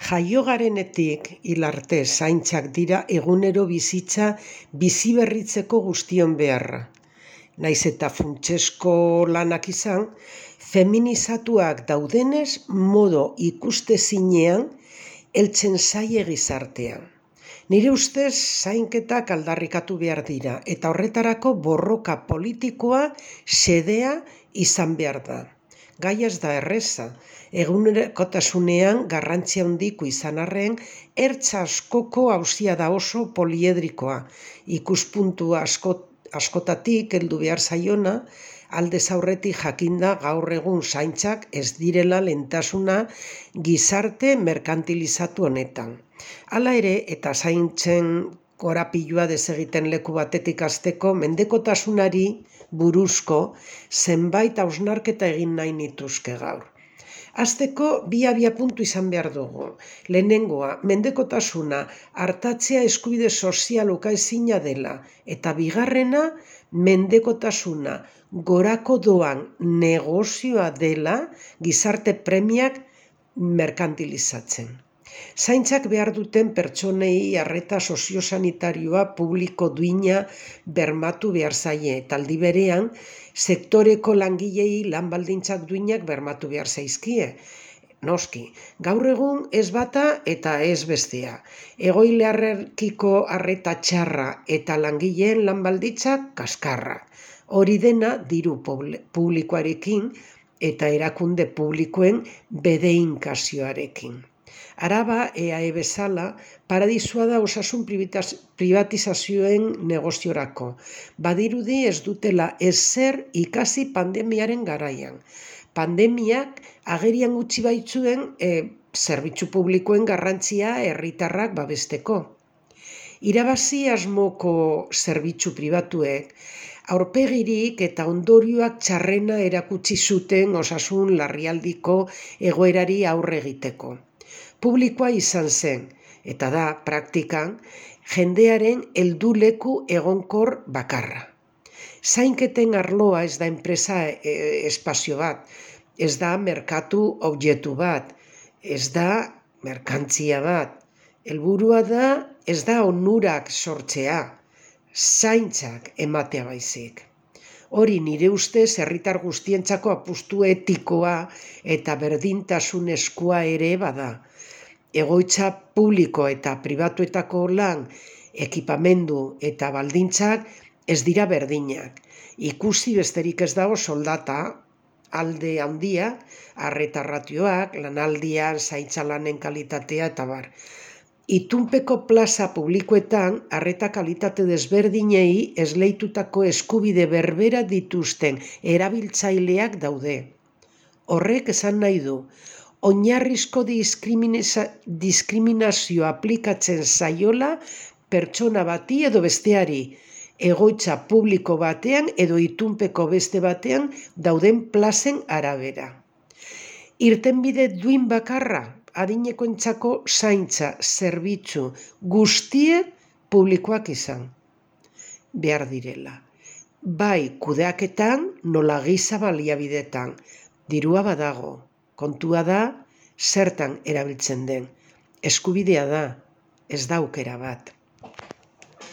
Jaio garenetik hil arte zaintzak dira egunero bizitza biziberritzeko guztion beharra. Naiz eta funtsezko lanak izan, feminizatuak daudenez modo ikustezinean heltzen zaie gizartean. Nire ustez zainketak aldarrikatu behar dira eta horretarako borroka politikoa xedea izan behar da. Gaia ez da erreza, egunerokotasunean garrantzia handiko izan arren, ertz askoko auzia da oso poliedrikoa, ikuspuntu askotatik heldu behar zaiona, aldez aurretik jakinda gaur egun zaintzak ez direla lehentasuna gizarte merkantilizatu honetan. Hala ere, eta zaintzen korapilua desegiten leku batetik hasteko mendekotasunari buruzko zenbait hausnarketa egin nahi nituzke gaur. Hasteko bi abiapuntu izan behar dugu. Lehenengoa, mendekotasuna artatzea eskubide sozial ukaezina dela, eta bigarrena, mendekotasuna gorako doan negozioa dela gizarte premiak merkantilizatzen. Zaintzak behar duten pertsonei arreta soziosanitarioa publiko duina bermatu behar zaie, eta aldi berean sektoreko langilei lan baldintzak duinak bermatu behar zaizkie. Noski, gaur egun ez bata eta ez bestea. Egoiliarrekiko arreta txarra eta langileen lan baldintzak kaskarra. Hori dena diru publikoarekin eta erakunde publikoen bedeinkazioarekin. Araba, EAE bezala, paradisua da osasun privatizazioen negoziorako. Badirudi ez dutela ezer ikasi pandemiaren garaian. Pandemiak agerian utzi baitzuen zerbitzu publikoen garrantzia herritarrak babesteko. Irabazi asmoko zerbitzu pribatuek aurpegirik eta ondorioak txarrena erakutsi zuten osasun larrialdiko egoerari aurre egiteko. Publikoa izan zen, eta da, praktikan, jendearen helduleku egonkor bakarra. Zainketen arloa ez da enpresa espazio bat, ez da merkatu objektu bat, ez da merkantzia bat. Helburua da, ez da onurak sortzea, zaintzak ematea baizik. Hori nire ustez herritar guztientzako apustu etikoa eta berdintasunezkoa ere bada. Egoitza publiko eta pribatuetako lan, ekipamendu eta baldintzak ez dira berdinak. Ikusi besterik ez dago soldata, alde handia, arreta ratioak, lanaldian, zaintza lanen kalitatea eta bar. Itunpeko plaza publikoetan arreta kalitate desberdinei esleitutako eskubide berbera dituzten erabiltzaileak daude. Horrek esan nahi du, oinarrizko diskriminazio aplikatzen zaiola pertsona bati edo besteari, egoitza publiko batean edo itunpeko beste batean dauden plazen arabera. Irtenbide duin bakarra, adinekoentzako zaintza zerbitzu guztie publikoak izan behar direla. Bai kudeaketan nola giza baliabidetan, dirua badago. Kontua da, zertan erabiltzen den. Eskubidea da, ez da aukera bat.